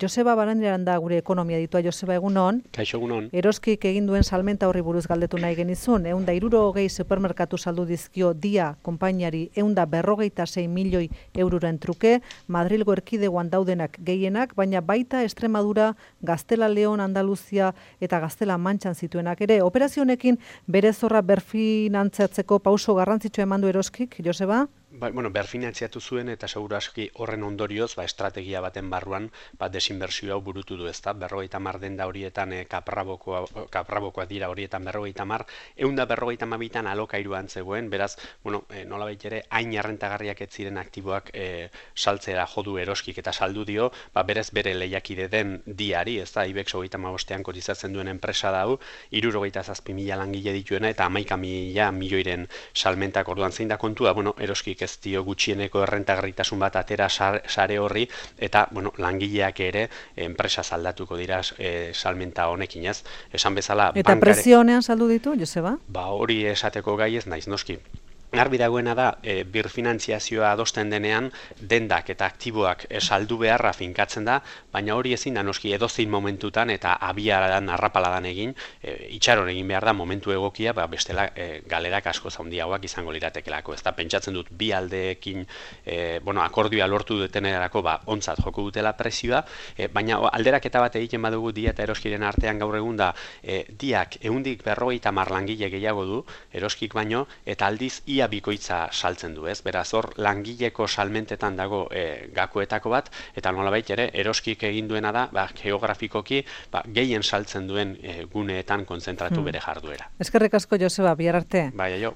Joseba Barandiaran da gure ekonomia ditua. Joseba, egunon. Kaixo, egunon. Eroskik egin duen salmenta horri buruz galdetu nahi genizun. 160 supermerkatu saldu dizkio Dia konpainiari 156 milioi euroren truke, Madrilgo erkidegoan daudenak gehienak, baina baita Extremadura, Gaztela Leon, Andaluzia eta Gaztela Mantxan zituenak ere. Operazio honekin bere zorra berfinantzatzeko pauso garrantzitsua eman du Eroskik, Joseba? Berfinantziatu zuen eta seguru aski horren ondorioz, estrategia baten barruan, desinbertsio hau burutu du, ezta? 50 denda horietan kaprabokoak dira horietan 50, 152 alokairuan zegoen, beraz, nolabait ere, hain errentagarriak ez ziren aktiboak saltzera jodu Eroskik eta saldu dio, berez bere lehiakide den Diari, ezta? Ibex 35ean kotizatzen duen enpresa da hau, 67.000 langile dituena eta 11.000 milioiren salmentak. Orduan zein da kontua, Eroskik ez dio gutxieneko errentagarritasun bat atera sare horri, eta langileak ere enpresa saldatuko dira salmenta honekin, ez? Esan bezala... Eta prezio honean saldu ditu, Joseba? Hori esateko gai ez naiz, noski. Garbi dagoena da, birfinantziazioa adosten denean, dendak eta aktiboak saldu beharra finkatzen da, baina hori ezin da noski edozein momentutan eta abiaran arrapaladan egin, itxaron egin behar da momentu egokia, bestela galerak asko handiagoak izango liratekelako. Ez da, pentsatzen dut bi aldeekin akordioa lortu dutenerako ontzat joko dutela prezioa, baina alderaketa bat egiten badugu Dia eta Eroskiren artean gaur egun da, Diak 150 langile gehiago du, Eroskik baino, eta aldiz ia bikoitza saltzen du, ez? Beraz, hor langileko salmentetan dago gakoetako bat, eta nolabait ere Eroskik egin duena da, geografikoki gehien saltzen duen guneetan kontzentratu bere jarduera. Eskerrik asko, Joseba, bihar arte. Bai, aio.